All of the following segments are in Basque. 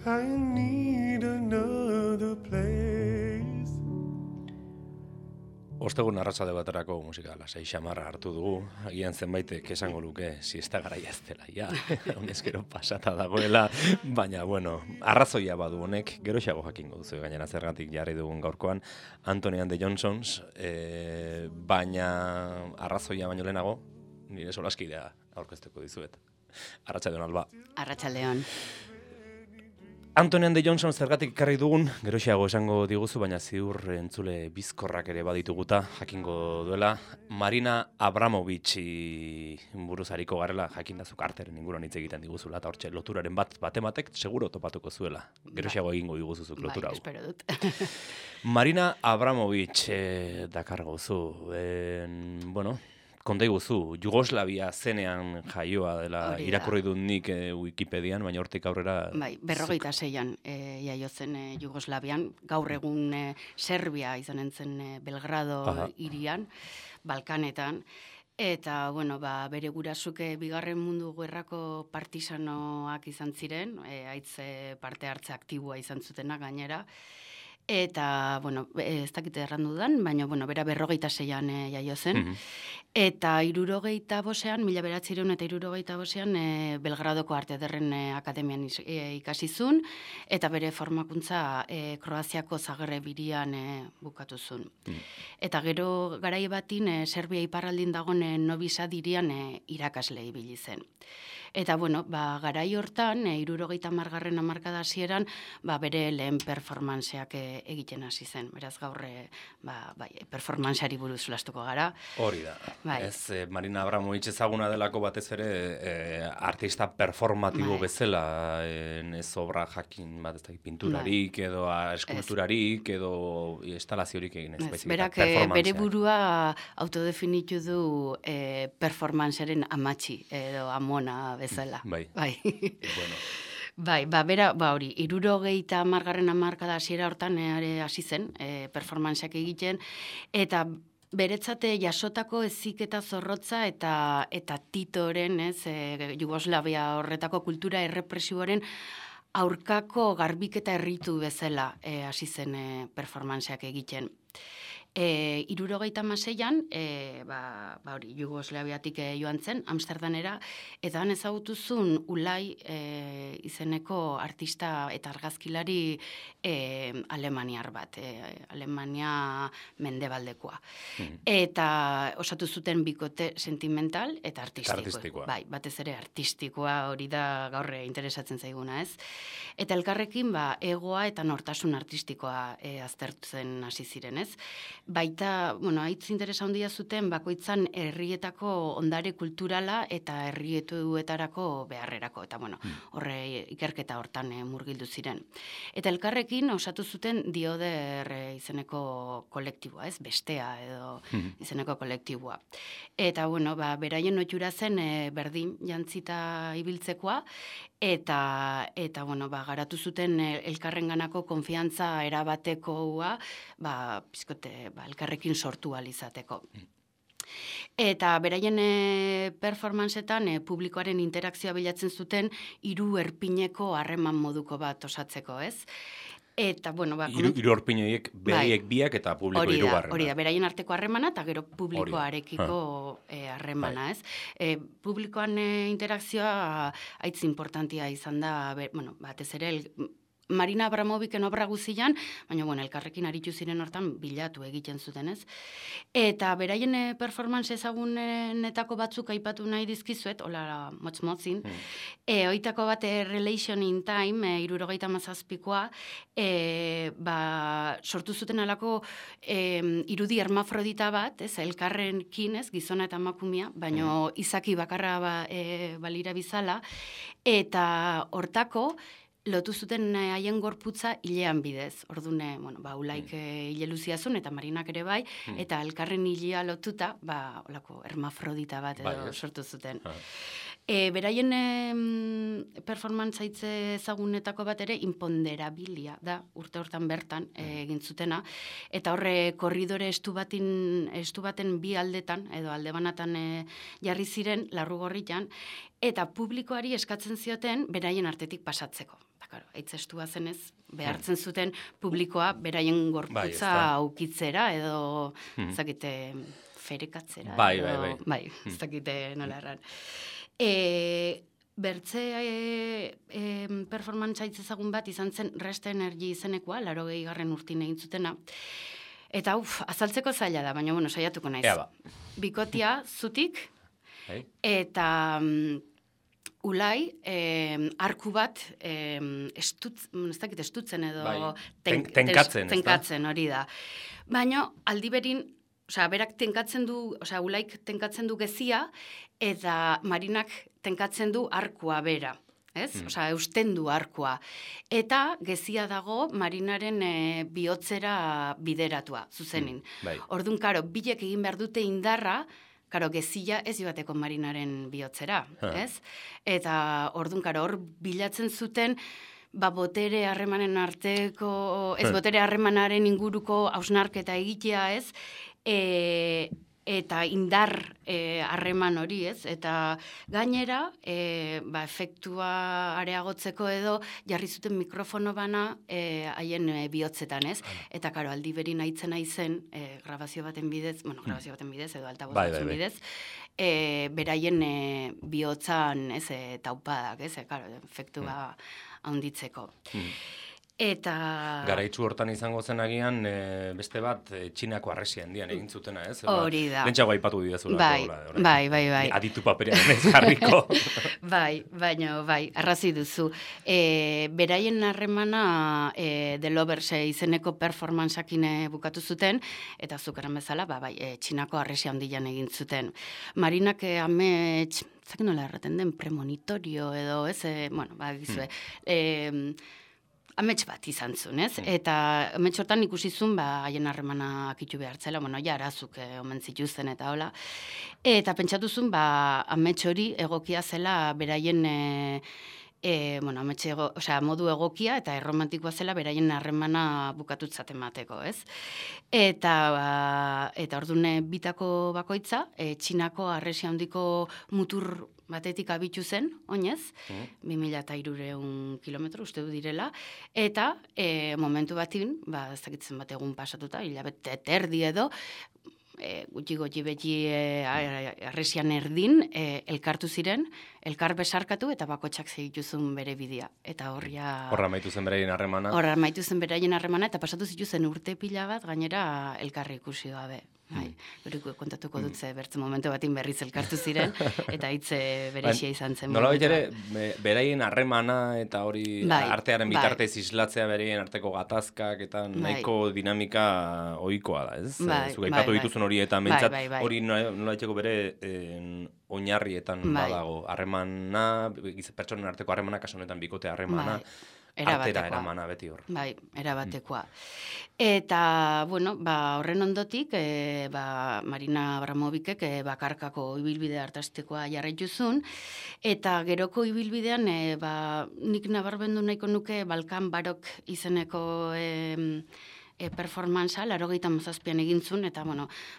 I need another place. Ostegun arratsalde baterako musika lasai xamarra hartu dugu. Agian zenbaitek esango luke siesta garaia ez dela ja. Honezkero pasata dagoela, baina bueno, arrazoia badu honek, geroxago jakingo duzu gainera zergatik jarri dugun gaurkoan Anthony and the Johnsons, baina arrazoia baino lehenago nire solaskidea aurkeztuko dizuet. Arratsaldeon Alba. Arratsaldeon. Anthony and the Johnson zergatik ekarri dugun, geroxeago esango diguzu, baina ziur entzule bizkorrak ere badituguta, jakingo duela. Marina Abramovich buruzariko garela, jakindazuk arteren inguruan hitz egiten diguzula, eta hortxe loturaren batematek seguro topatuko zuela. Geroxeago egingo diguzuzuk lotura hau. Espero dut. Marina Abramovich dakar gozu, bueno, konta iguzu, Jugoslavia zenean jaioa dela irakurri dut nik Wikipedian, baina hortik aurrera... Bai, 46an jaio zen Jugoslavian, gaur egun Serbia izanen zen Belgrado hirian, Balkanetan, eta, bueno, bere gurasuke bigarren mundu gerrako partisanoak izan ziren, haitz parte hartze aktiboa izan zutena gainera, eta, bueno, ez dakite errandu dudan, baina, bueno, bera 46an jaio zen. Eta 65ean, 1965ean, Belgradoko Arte Ederren Akademian ikasi zuen, eta bere formakuntza Kroaziako Zagreb hirian bukatu zuen. Eta gero garai batin, Serbia iparraldin dagoen Novi Sad hirian irakasle ibili zen. Eta, bueno, garai hortan, 70garren hamarkada hasieran, bere lehen performanceak egiten hasi zen. Beraz, gaur, performanceari buruz solastuko gara. Hori da. Bai. Ez, Marina Abramovich ezaguna delako batez ere artista performatibo bezala, ez obra jakin bat ez da pinturarik, edo eskulturarik, edo instalaziorik egin ez. Berak bere burua autodefinitu du performancearen amatxi, edo amona bezala. Bai. Bueno. Bai, bera, hori, 70garren hamarkada hasiera hortan hasi zen, performanceak egiten, eta beretzate jasotako heziketa zorrotza eta Titoren, Jugoslavia horretako kultura errepresiboaren aurkako garbiketa erritu bezala hasi zen performanceak egiten. 76an, hori, Jugoslaviatik joan zen, Amsterdanera, eta han ezagutuzun Ulai izeneko artista eta argazkilari alemaniar bat, Alemania mendebaldekoa. Eta osatu zuten bikote sentimental eta artistikoa. Bai, batez ere artistikoa hori da gaur interesatzen zaiguna, ez? Eta elkarrekin egoa eta nortasun artistikoa aztertzen hasi ziren, ez? Baita, bueno, haitz interesa handia zuten bakoitzan herrietako ondare kulturala eta herrietuetarako beharrerako, eta bueno, horre ikerketa hortan murgildu ziren. Eta elkarrekin osatu zuten Dioder izeneko kolektiboa, ez? Bestea edo izeneko kolektiboa. Eta, bueno, beraien ohitura zen berdin jantzita ibiltzekoa, eta bueno, garatu zuten elkarrenganako konfiantza erabatekoa, pizkote, elkarrekin sortu alizateko. Eta beraien performanceetan publikoaren interakzioa bilatzen zuten 3 erpineko harreman moduko bat osatzeko, ez? Eta, bueno, hiru erpinoiek beraiek biak eta publiko 3 Hori da, beraien arteko harremana eta gero publikoarekiko harremana, ez? Publikoan interakzioa haitz importantia izan da, batez ere Marina Abramovichen obra guzian, baina, bueno, elkarrekin aritu ziren hortan bilatu egiten zuten, ez? Eta beraien performance ezagunetako batzuk aipatu nahi dizkizuet, hola motz-motzin, oitako bat Relation in Time, 77koa, sortu zuten alako irudi hermafrodita bat, ez, elkarrenkin, ez, gizona eta emakumea, baina izaki bakarra balira bizala, eta hortako, lotu zuten haien gorputza hilean bidez. Orduan, Ulaik hile luziazun eta Marinak ere bai, eta elkarren hilea lotuta, olako hermafrodita bat edo sortu zuten. Beraien performance haitze ezagunetako bat ere imponderabilia da, urte hortan bertan egin zutena, eta horre korridore estu baten bi aldetan, edo alde banatan jarri ziren, Larrugorritan, eta publikoari eskatzen zioten beraien artetik pasatzeko. Eta, karo, aitzestua zenez, behartzen zuten publikoa beraien gorputza aukitzera, edo, zakite, ferekatzera. Bai, zakite nola erran. Bertze performantza itzezagun bat izan zen Rest Energy izenekoa, 80. urtin egin zutena. Eta azaltzeko zaila da, baina bueno, saiatuko naiz. Bikotia zutik, eta ulai, arku bat estutzen edo tenkatzen hori da. Baina aldiberin, berak tenkatzen du, ulaik tenkatzen du gezia, eta Marinak tenkatzen du arkua bera. Eusten du arkua. Eta gezia dago Marinaren bihotzera bideratua, zuzenin. Orduan, karo, bilek egin behar dute indarra, karo, gezia ez joateko Marinaren bihotzera, ez? Eta orduan, karo, hor bilatzen zuten, botere harremanen arteko, ez botere harremanaren inguruko hausnarketa egitea, ez? Eta indar harreman hori, ez? Eta gainera, efektua areagotzeko edo jarri zuten mikrofono bana haien bihotzetan, ez? Eta, karo, aldi berin aitzen aizen, grabazio baten bidez edo altaboz batzen bidez, beraien bihotzan, ez, taupadak, ez? Karo, efektua handitzeko. Eta... Garaitzu hortan izango zen agian, beste bat, Txinako arresia handian egin zutena, ez? Hori da. Lentsago aipatu bidezula. Bai. Aditu paperean ez jarriko. Baina, arrazi duzu. Beraien harremana The Lovers izeneko performanceakin bukatu zuten, eta zukaran bezala, Txinako arresia handian egin zuten. Marinak amets, zakin nola erraten den, premonitorio edo, ez? Gizue, amets bat izan zuen, ez? Eta amets hortan ikusi zuen, haien harremana akitu behartzela, arazuk omen zituzten eta hola. Eta pentsatu zuen, amets hori egokia zela beraien, modu egokia eta erromantikoa zela beraien harremana bukatutzat emateko, ez? Eta ordune bitako bakoitza, Txinako arresia handiko mutur batetik abitu zen, oinez, 2.300 kilometro uste du direla, eta momentu batin, ez dakitzen bat egun pasatuta, hilabete terdi edo, gutxi beti arresian erdin, elkartu ziren, elkar besarkatu eta bakotxak zituzun bere bidea. Eta horra maitu zen beraien harremana. Horra maitu zen beraien harremana, eta pasatu zituzen urte pila bat, gainera elkarri ikusi gabe. Beriko kontatuko dut ze bertzen momentu batin berriz elkartu ziren, eta hitze berexia izan zen. Nola ere, beraien harremana eta hori artearen bitartez islatzea beraien arteko gatazkak eta nahiko dinamika ohikoa da, ez? Zuk aipatu dituzun hori eta mentzat hori nola etxeko bere oinarrietan badago. Harremana, pertsonen arteko harremana, kasu honetan bikote harremana, artera eramana beti hor. Erabatekoa. Eta, horren ondotik, Marina Abramovicek bakarkako ibilbide hartaztekoa jarraituzun, eta geroko ibilbidean, nik nabarbendu nahiko nuke Balkan Barok izeneko performanza, 87an egin zuen, eta,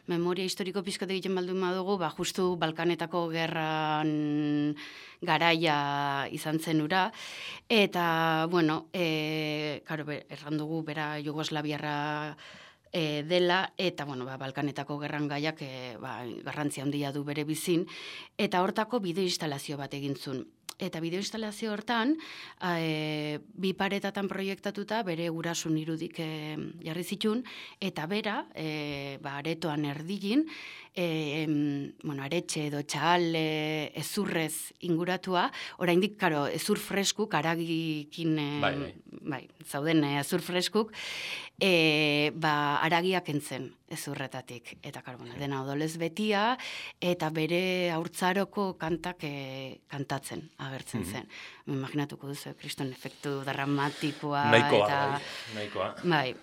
memoria historiko pizkat egiten baldun badugu, justu Balkanetako gerran garaia izan zen ura, eta, erran dugu, bera Jugoslaviarra dela, eta, Balkanetako gerran gaiak garrantzia handia du bere bizin, eta hortako bideo instalazio bat egin zuen. Eta bideo instalazio hortan, bi paretatan proiektatuta bere gurasun irudik jarri zitun, eta bera, aretoan erdilin, aretxe edo txal ezurrez inguratua, oraindik, karo, ezur freskuk, aragikin, zauden ezur freskuk, aragiak entzen ezurretatik. Eta, karo, dena odolez betia, eta bere haurtzaroko kantak kantatzen agertzen zen. Imaginatuko duzu, kriston efektu dramatikoa. Nahikoa. Bai.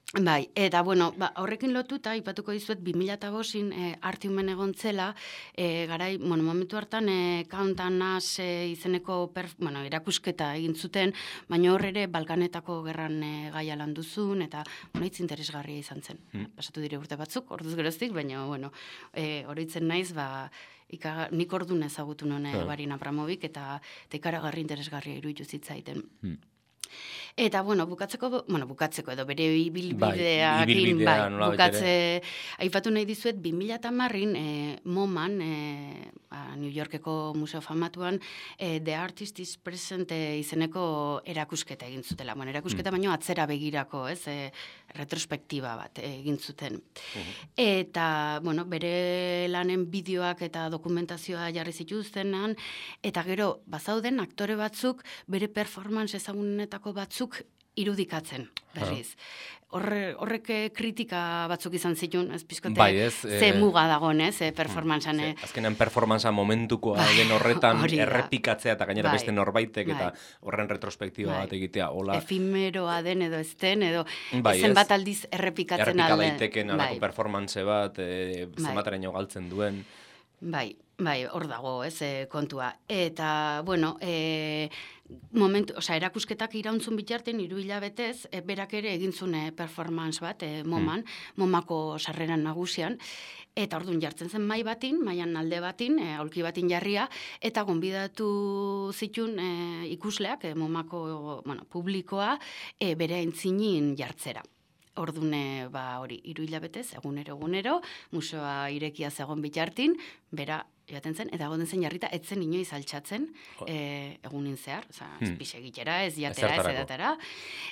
Bai, eta bueno, horrekin lotuta, ipatuko dizuet, 2005-in Artiumen egon zela, garai, momentu hartan, Count and Us izeneko erakusketa egin zuten, baina hor ere Balkanetako gerran gaia landu zuen, eta hitz interesgarria izan zen. Pasatu dire urte batzuk, orduz geroztik, baina, oroitzen naiz, nik ordun ezagutu nuen Marin Abramovic, eta ikaragarri interesgarria iruditu zitzaiten. Eta, bukatzeko edo bere ibilbideakin, aipatu nahi dizuet, 2010-in MoMAn, New Yorkeko museo famatuan, The Artist is Present izeneko erakusketa egin zutela. Erakusketa baino atzera begirako, retrospektiba bat egin zuten. Eta, bere lanen bideoak eta dokumentazioa jarri zituztenan, eta gero, bazauden aktore batzuk bere performance ezagunetako batzuk irudikatzen, berriz. Horrek kritika batzuk izan zituen, ez pizkote, ze muga dagoen, performantzan. Azkenean performantza momentukoa den horretan errepikatzea eta gainera beste norbaitek eta horren retrospektiba bat egitea. Efemeroa den edo ez den, edo zenbat aldiz errepikatzen alde. Errepika daiteken alako performantze bat, zenbateraino galtzen duen. Bai, hor dago, kontua. Eta, erakusketak irauntzun bitartean 3 hilabetez, berak ere egin zuen performance bat, MoMAn, MoMako sarreran nagusian, eta orduan jartzen zen maian alde batin, aulki batin jarria, eta gonbidatu zitun ikusleak, MoMako publikoa, bere aintzinin jartzera. Orduan, 3 hilabetez, egunero, museoa irekia zegoen bitartin, bera joaten zen, eta egoten zen jarrita, etzen inoiz altxatzen egunin zehar, ez egitera, ez jatera, ez edatera,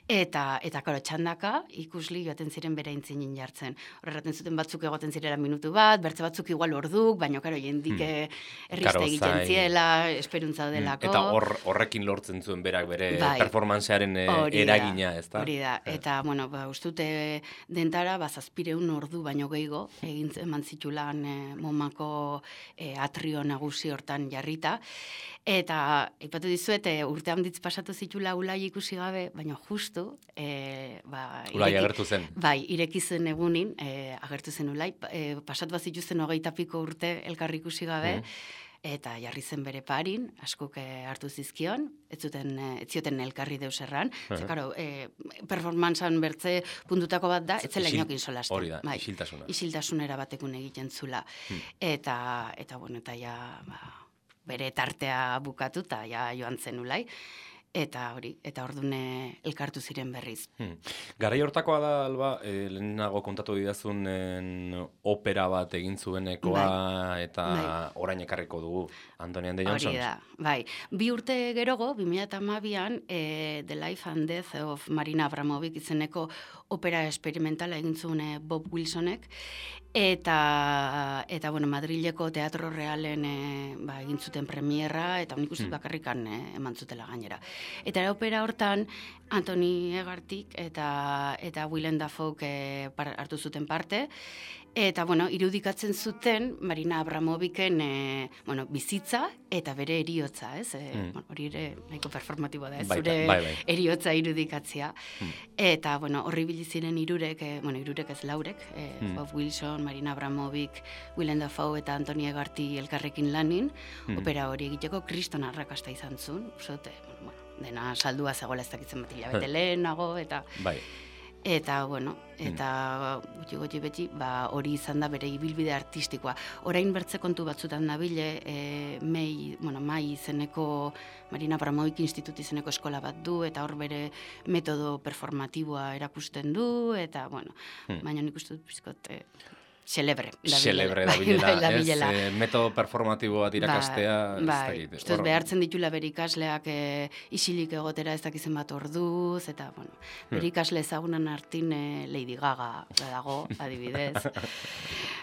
eta karo, txandaka ikusli joaten ziren bere intzinin jartzen. Horregaten zuten batzuk egoten zirela minutu bat, bertze batzuk igual orduk, baina karo, jendik errizte egiten ziela, esperuntza delako. Eta horrekin lortzen zuen berak bere performancearen eragina, ez da? Hori da, eta, ustute dentara, 700 ordu baino gehiago, eman zitulan MoMako atrio nagusi hortan jarrita, eta ipatu dizuet, urte handitz pasatu zitula Ulai ikusi gabe, baina justu Ulai agertu zen. Bai, ireki zen egunin, agertu zen Ulai, pasatu bat zituzten 20 piko urte elkarri ikusi gabe, eta jarri zen bere parin, askok hartu zizkion, ez zioten elkarri deus erran, karo, performantzan bertze puntutako bat da, ez zela inokin solasten. Hori da, isiltasuna. Isiltasunera batekun egiten zula. Eta bere tartea bukatu, eta joan zen Ulai, eta ordune elkartu ziren berriz. Garai hortakoa da, Alba, lehenago kontatu didazun opera bat egin zuenekoa, eta orain ekarriko dugu Antoni and the Johnsons. Hori da, bai. 2 urte gerogo, 2012an, The Life and Death of Marina Abramovic izeneko opera experimentala egin zuen Bob Wilsonek, eta Madrileko Teatro Realen egin zuten premierra, eta unik uste bakarrikan eman zutela gainera. Eta opera hortan, Antoni Egartik eta Willem Dafoe hartu zuten parte, eta, irudikatzen zuten Marina Abramovicen bizitza eta bere eriotza, ez? Hori ere nahiko performatiboa da, ez? Zure eriotza irudikatzea. Eta, horri biliziren irurek ez laurek, Bob Wilson, Marina Abramovic, Willem Dafoe eta Antoni Egarti elkarrekin lanin, opera hori egiteko kriston arrakasta izan zuen, usote, dena saldua zegoela ez dakitzen bat hilabete lehenago, eta... Eta, gutxi beti, hori izan da bere ibilbide artistikoa. Orain bertze kontu batzutan nabile, mai izeneko, Marina Abramovic Institute izeneko eskola bat du, eta hor bere metodo performatiboa erakusten du, eta, baina nik uste dut pizkot... Celebre dabilela, ez metodo performatibo bat irakastea. Bai, behartzen ditula bere ikasleak isilik egotera ez dakizen bat orduz, eta, bere ikasle ezagunan hartin Lady Gaga dago, adibidez.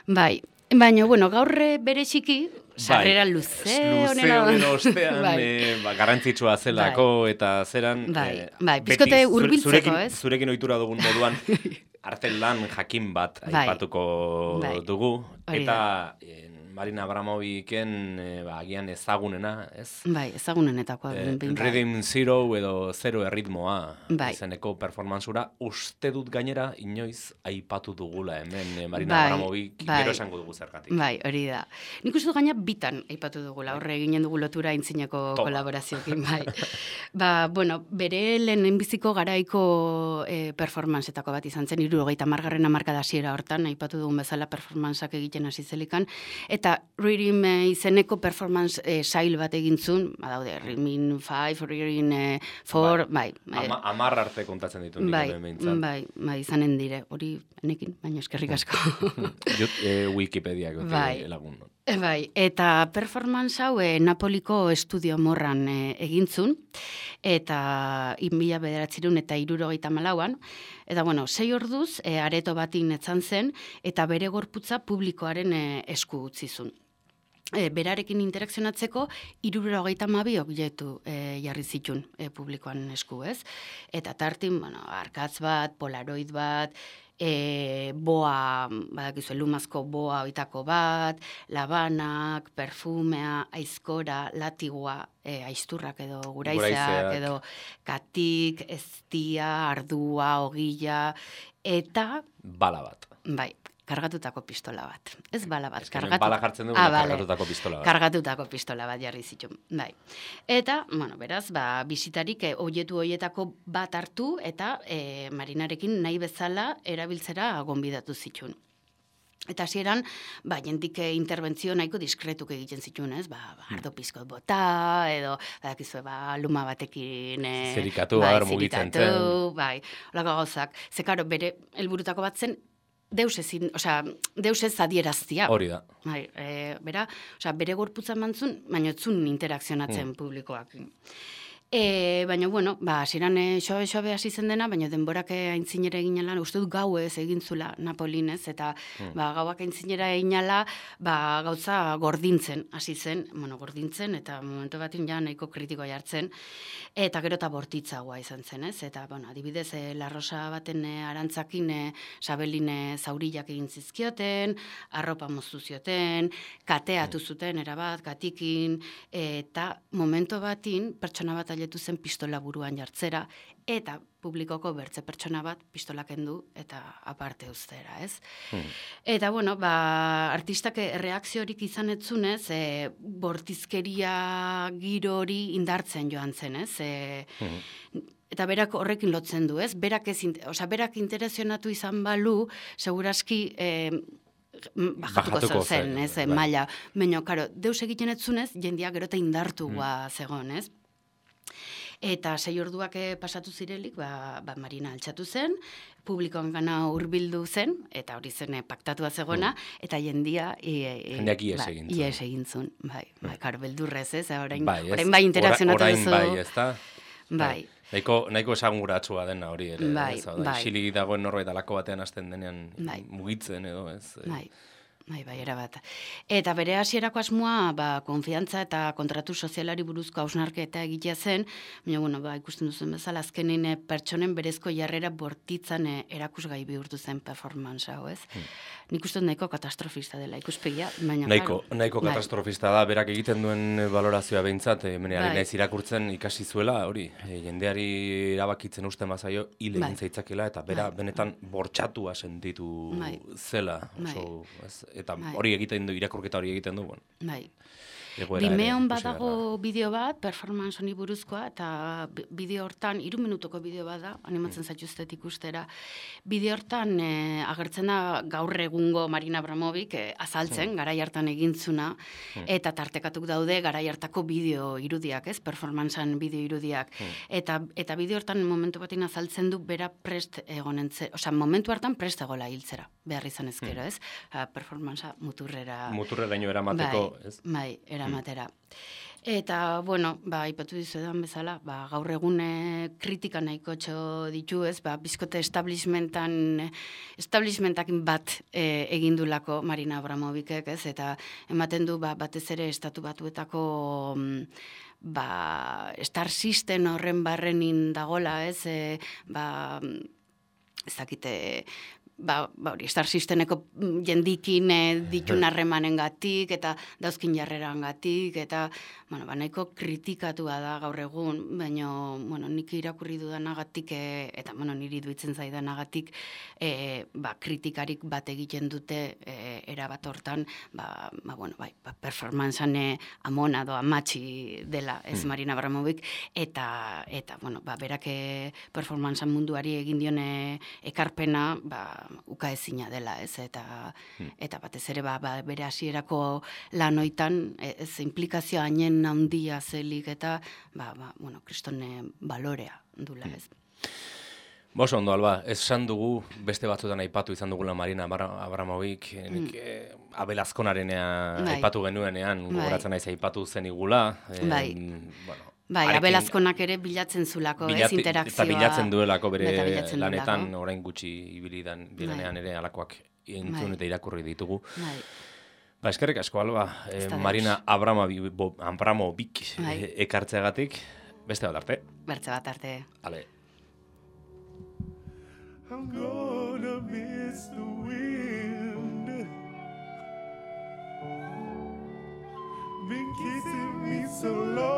Bai, baina, gaur bere txiki, sarrera luze honen ostean, garrantzitsua zelako, eta zeran... Bai, pizkote hurbiltzeko, ez? Zurekin ohitura dugun moduan, artelan jakin bat aipatuko dugu, eta Marina Abramoviken agian ezagunena, ez? Bai, ezagunenetakoa. Rhythm Zero edo Zero erritmoa izeneko performanzura, uste dut gainera inoiz aipatu dugula hemen Marina Abramovik, gero esango dugu zergatik. Bai, hori da. Nik uste dut gaina bitan aipatu dugula, horre eginen dugu lotura aintzineko kolaborazioekin, bai. Bueno, bere lehenbiziko garaiko performanceetako bat izan zen, 70. hamarkada hasiera hortan, aipatu dugun bezala performanceak egiten hasi zelikan, eta Rhythm izeneko performance sail bat egintzun, badaude, Rhythm 5, Rhythm 4, bai. 10 arte kontatzen ditu nik behintzat. Bai, izanen dire, hori nekin, baina eskerrik asko. Wikipediak lagun. Bai, eta performance hau Napoliko estudio morran egintzun, eta 1974an, eta bueno, 6 orduz areto batin etzan zen, eta bere gorputza publikoaren esku utzizun. Berarekin interakzionatzeko 72 objektu jarri zitun publikoan esku, ez? Eta tartin, arkatz bat, polaroid bat, boa, badakizu, lumazko boa oitako bat, labanak, perfumea, aizkora, latigua, aizturrak edo guraizeak, edo katik, eztia, ardua, ogila, eta... Bala bat. Bai, kargatutako pistola bat. Ez bala bat. Bala jartzen dugu, kargatutako pistola bat. Kargatutako pistola bat jarri zituen, bai. Eta, beraz, bisitarik objektu horietako bat hartu eta Marinarekin nahi bezala erabiltzera gonbidatu zituen. Eta hasieran, jentik interbentzio nahiko diskretuk egiten zituen, ez? Ardo pizkot bota, edo, luma batekin... Zerikatu, mugitzen zen. Bai, holako gauzak. Zekaro, bere helburutako bat zen, deus ez adieraztia. Hori da. Bai, bere gorputza mantzun, baina etzun interakzionatzen publikoak. Baina, hasieran xobe hasi zen dena, baina denborak aintzinera eginala, uste dut gauez egintzula Napolinez, eta gauak aintzinera eginala, gauza gordintzen, hasi zen, gordintzen, eta momentu batin ja nahiko kritikoa jartzen, eta gero eta bortitzagoa izan zen, ez? Eta, adibidez, La Rosa baten arantzakin Sabelin zaurillak egin zizkioten, arropa moztu zioten, kateatu zuten, erabat, katikin, eta momentu batin, pertsona bat zen pistola buruan jartzera, eta publikoko bertze pertsona bat pistolak kendu eta aparte uztera, ez? Eta, artistak reakziorik izan etzunez, bortizkeria giro hori indartzen joan zen, ez? Eta berak horrekin lotzen du, ez? Berak interesionatu izan balu, seguraski... bajatuko zen, ez? Maila. Baina, karo, deus egiten etzunez, jendia gero eta indartua zegoen, ez? Eta 6 orduak pasatu zirelik, Marina altxatu zen, publikoan gana hurbildu zen, eta hori zen paktatua zegoena, eta jendia... Jendeak ies egin zuen. Bai, karo, beldurrez, ez? Orain bai interakzionatu duzu. Orain bai, ez da? Bai. Nahiko esanguratsua dena hori ere. Bai. Xili dagoen norbait alako batean hasten denean mugitzen edo, ez? Bai, erabat. Eta bere hasierako asmoa, konfiantza eta kontratu sozialari buruzko hausnarketa egitea zen, baina, ikusten duzen bezala, azkenin pertsonen berezko jarrera bortitzan erakusgai bihurtu zen performance hau, ez? Nik uste nahiko katastrofista dela ikuspegia, baina... Nahiko katastrofista da, berak egiten duen valorazioa behintzat, meneari naiz irakurtzen ikasi zuela, hori, jendeari erabakitzen usten bazaio, hil egin zaitzakela, eta bera benetan bortxatua sentitu zela, eta hori egiten du, irakurketa hori egiten du, Bai. Vimeon badago bideo bat, performance honi buruzkoa, eta bideo hortan, 3 minutoko bideo bat da, animatzen zaituztet ikustera, bideo hortan agertzen da gaur egungo Marina Abramovik azaltzen, garai hartan egintzuna, eta tartekatuk daude garai hartako bideo irudiak, ez? Performancean bideo irudiak. Eta bideo hortan momentu batin azaltzen du bera prest egonentzen, momentu hartan prest egola hiltzera, behar izan ezkero, ez? Performancea muturrera ino eramateko, ez? Bai, eramatera. Eta, ipatu dizuedan bezala, gaur egun kritika nahiko ditu, ez? Bizkote establishmentakin bat egindulako Marina Abramovicek, ez? Eta ematen du, batez ere estatu batuetako star system horren barrenin dagola, ez? Ez dakite hori, Star Systemeko jendikin ditun harremanengatik eta dauzkin jarrerangatik eta nahiko kritikatua da gaur egun, baina nik irakurri dudanagatik eta niri duitzen zaidanagatik kritikarik bat egiten dute erabat hortan, performancean amona doa matxi dela ez Marina Abramovic eta berak performancean munduari egin dione ekarpena ukaezina dela, ez, eta batez ere bere hasierako lanoitan ez implikazioa hainen handia zelik eta kristone balorea dula, ez. Boso ondo, Alba, esan dugu, beste batzuetan aipatu izan dugula Marina Abramovic, Abel Azkonarenea aipatu genuenean, gogoratzen naiz aipatu zen igula. Abel Azkonak ere bilatzen zulako, ez, interakzioa. Eta bilatzen duelako bere lanetan, orain gutxi ibili direnean ere alakoak entzun eta irakurri ditugu. Eskerrik asko, Alba, Marina Abramovic ekartzeagatik, beste bat arte. Bertze bat arte. Ale. I'm gonna miss the wind. Been kissing me so long.